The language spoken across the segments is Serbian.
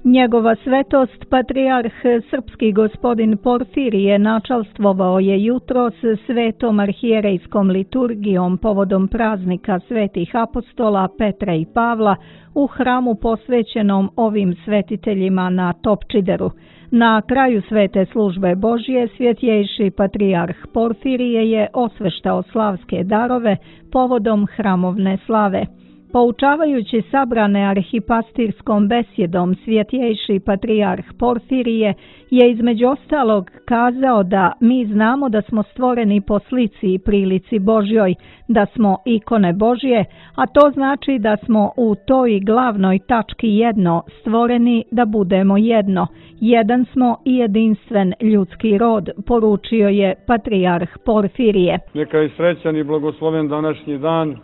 Njegova svetost, patrijarh srpski gospodin Porfirije, načalstvovao je jutros svetom arhijerejskom liturgijom povodom praznika svetih apostola Petra i Pavla u hramu posvećenom ovim svetiteljima na Topčideru. Na kraju svete službe Božje svjetjejši patrijarh Porfirije je osveštao slavske darove povodom hramovne slave. Poučavajući sabrane arhipastirskom besjedom, svjetjejši patrijarh Porfirije je između ostalog kazao da mi znamo da smo stvoreni po slici i prilici Božjoj, da smo ikone Božje, a to znači da smo u toj glavnoj tački jedno, stvoreni da budemo jedno. Jedan smo i jedinstven ljudski rod, poručio je patrijarh Porfirije. Neka je srećan i blagosloven današnji dan.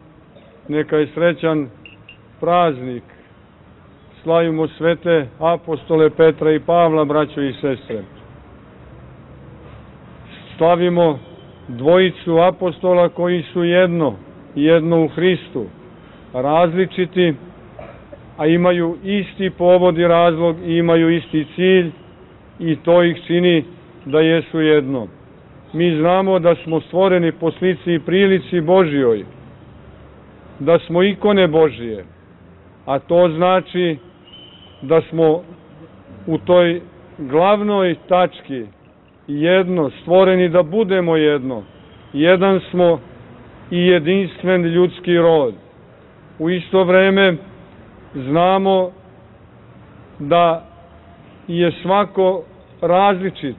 Neka je srećan praznik. Slavimo svete apostole Petra i Pavla, braćo i sestre. Slavimo dvojicu apostola koji su jedno u Hristu, različiti, a imaju isti povod i razlog i imaju isti cilj i to ih čini da jesu jedno. Mi znamo da smo stvoreni po slici i prilici Božjoj, da smo ikone Božije, a to znači da smo u toj glavnoj tački jedno, stvoreni da budemo jedno. Jedan smo i jedinstven ljudski rod. U isto vreme znamo da je svako različit.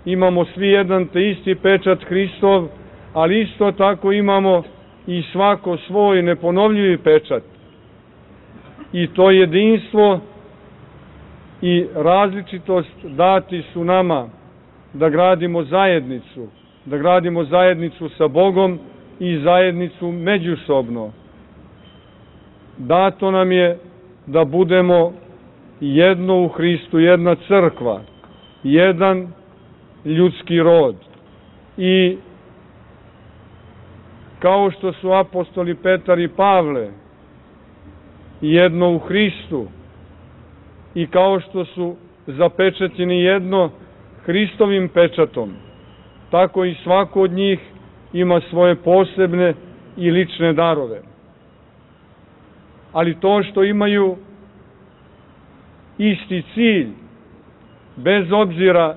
Imamo svi jedan te isti pečat Hristov, ali isto tako imamo i svako svoj neponovljivi pečat. I to jedinstvo i različitost dati su nama da gradimo zajednicu sa Bogom i zajednicu međusobno. Dato nam je da budemo jedno u Hristu, jedna crkva, jedan ljudski rod. I kao što su apostoli Petar i Pavle jedno u Hristu i kao što su zapečaćeni jedno Hristovim pečatom, tako i svako od njih ima svoje posebne i lične darove. Ali to što imaju isti cilj, bez obzira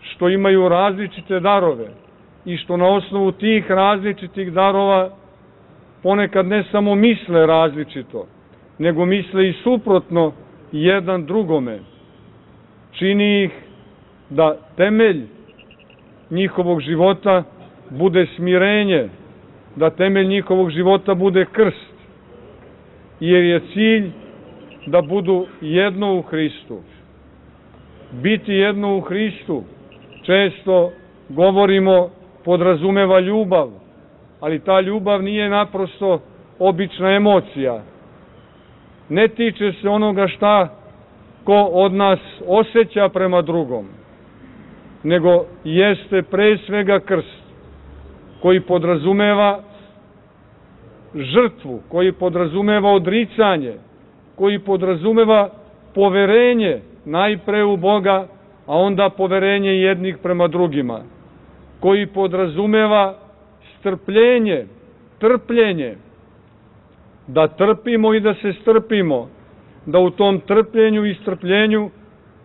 što imaju različite darove i što na osnovu tih različitih darova ponekad ne samo misle različito, nego misle i suprotno jedan drugome, čini ih da temelj njihovog života bude smirenje, da temelj njihovog života bude krst, jer je cilj da budu jedno u Hristu. Biti jedno u Hristu, često govorimo, podrazumeva ljubav, ali ta ljubav nije naprosto obična emocija. Ne tiče se onoga šta ko od nas osjeća prema drugom, nego jeste pre svega krst, koji podrazumeva žrtvu, koji podrazumeva odricanje, koji podrazumeva poverenje najpre u Boga, a onda poverenje jednih prema drugima, koji podrazumeva strpljenje, trpljenje, da trpimo i da se strpimo, da u tom trpljenju i strpljenju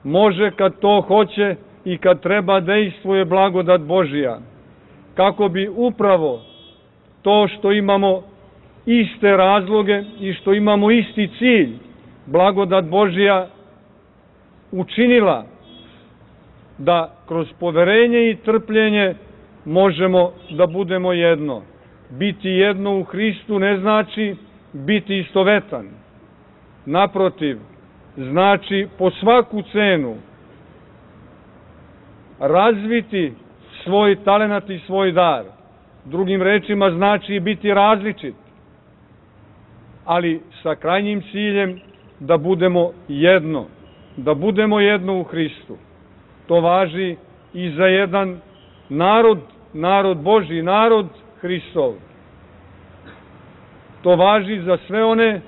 može, kad to hoće i kad treba, dejstvuje blagodat Božija, kako bi upravo to što imamo iste razloge i što imamo isti cilj, blagodat Božija učinila da kroz poverenje i trpljenje možemo da budemo jedno. Biti jedno u Hristu ne znači biti istovetan. Naprotiv, znači po svaku cenu razviti svoj talenat i svoj dar. Drugim rečima znači biti različit, ali sa krajnjim ciljem da budemo jedno u Hristu. To važi i za jedan narod Božji, narod Hristov. To važi za sve one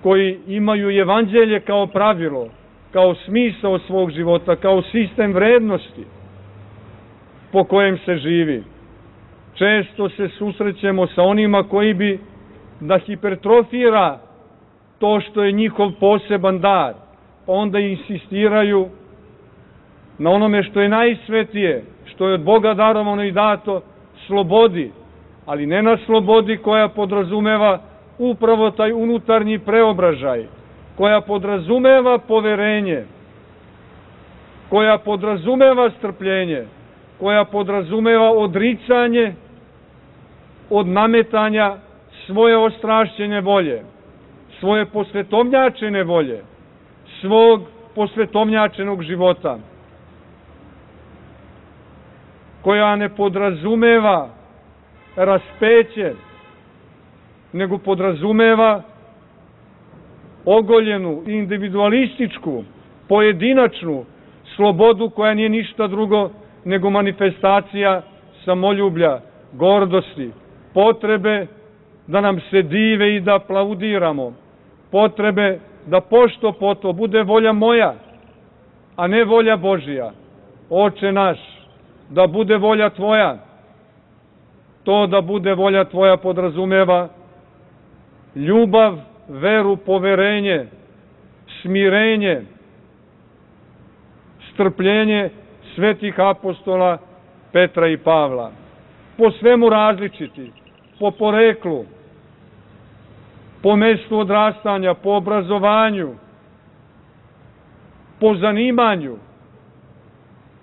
koji imaju evanđelje kao pravilo, kao smisao svog života, kao sistem vrednosti po kojem se živi. Često se susrećemo sa onima koji bi da hipertrofira to što je njihov poseban dar, pa onda insistiraju na onome što je najsvetije, što je od Boga darovano i dato, slobodi, ali ne na slobodi koja podrazumeva upravo taj unutarnji preobražaj, koja podrazumeva poverenje, koja podrazumeva strpljenje, koja podrazumeva odricanje od nametanja svoje ostrašćene volje, svoje posvetovnjačene volje, svog posvetovnjačenog života, koja ne podrazumeva raspeće, nego podrazumeva ogoljenu, individualističku, pojedinačnu slobodu koja nije ništa drugo nego manifestacija samoljublja, gordosti, potrebe da nam se dive i da aplaudiramo, potrebe da pošto poto bude volja moja, a ne volja Božija. Oče naš, da bude volja tvoja. To da bude volja tvoja podrazumeva ljubav, veru, poverenje, smirenje, strpljenje svetih apostola Petra i Pavla. Po svemu različiti, po poreklu, po mestu odrastanja, po obrazovanju, po zanimanju.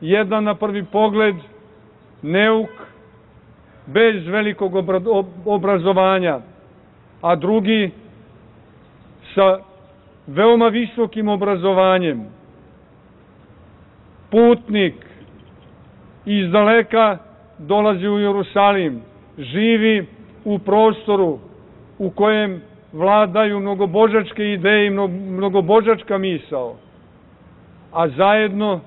Jedan na prvi pogled neuk, bez velikog obrazovanja, a drugi sa veoma visokim obrazovanjem. Putnik iz daleka dolazi u Jerusalim, živi u prostoru u kojem vladaju mnogobožačke ideje i mnogobožačka misao, a zajedno,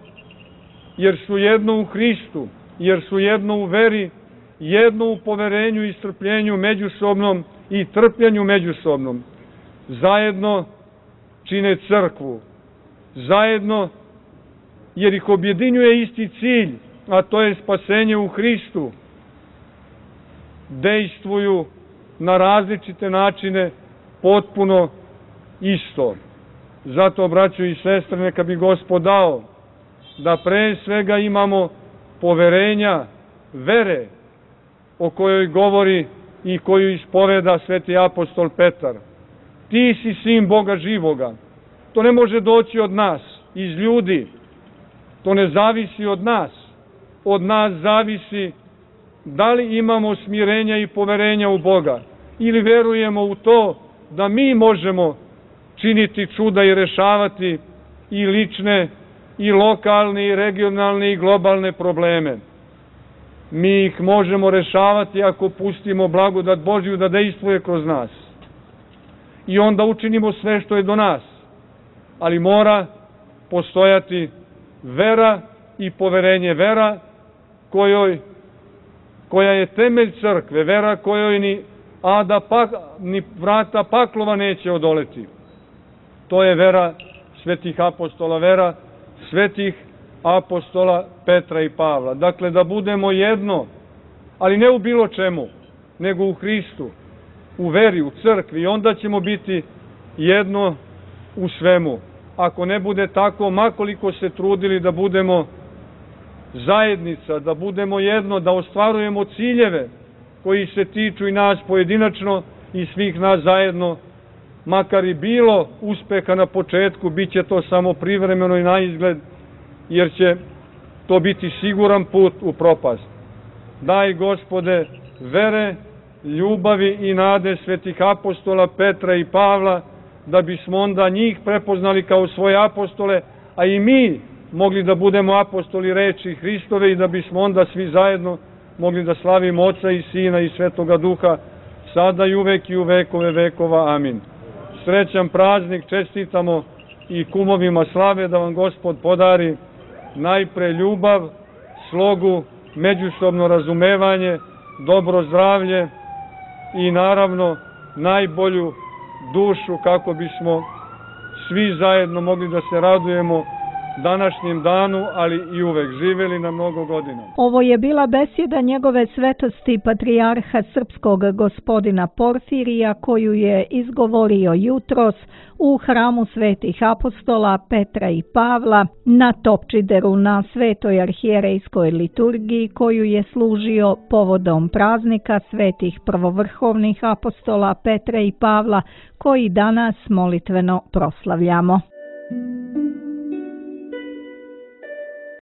jer su jedno u Hristu, jer su jedno u veri, jedno u poverenju i strpljenju međusobnom i trpljenju međusobnom, zajedno čine crkvu, zajedno jer ih objedinjuje isti cilj, a to je spasenje u Hristu, dejstvuju na različite načine potpuno isto. Zato, braćo i sestre, neka bi Gospod dao da pre svega imamo poverenja, vere o kojoj govori i koju ispoveda sveti apostol Petar. Ti si sin Boga živoga. To ne može doći od nas, iz ljudi. To ne zavisi od nas. Od nas zavisi da li imamo smirenja i poverenja u Boga ili verujemo u to da mi možemo činiti čuda i rešavati i lične, i lokalne, i regionalne, i globalne probleme. Mi ih možemo rešavati ako pustimo blagodat Božju da dejstvuje kroz nas. I onda učinimo sve što je do nas. Ali mora postojati vera i poverenje. Vera koja je temelj crkve, vera kojoj ni vrata paklova neće odoleti. To je vera svetih apostola, vera svetih apostola Petra i Pavla. Dakle, da budemo jedno, ali ne u bilo čemu, nego u Hristu, u veri, u crkvi, i onda ćemo biti jedno u svemu. Ako ne bude tako, makoliko se trudili da budemo zajednica, da budemo jedno, da ostvarujemo ciljeve koji se tiču i nas pojedinačno i svih nas zajedno, makar i bilo uspeha na početku, bit će to samo privremeno i na izgled, jer će to biti siguran put u propast. Daj, Gospode, vere, ljubavi i nade svetih apostola Petra i Pavla, da bismo onda njih prepoznali kao svoje apostole, a i mi mogli da budemo apostoli reči Hristove i da bismo onda svi zajedno mogli da slavimo Oca i Sina i Svetoga Duha, sada i uvek i u vekove vekova. Amin. Srećan praznik čestitamo i kumovima slave, da vam Gospod podari najpre ljubav, slogu, međusobno razumevanje, dobro zdravlje i naravno najbolju dušu kako bismo svi zajedno mogli da se radujemo današnjem danu, ali i uvek živeli na mnogo godina. Ovo je bila besjeda njegove svetosti patrijarha srpskog gospodina Porfirija koju je izgovorio jutros u hramu svetih apostola Petra i Pavla na Topčideru na svetoj arhijerejskoj liturgiji koju je služio povodom praznika svetih prvovrhovnih apostola Petra i Pavla koji danas molitveno proslavljamo.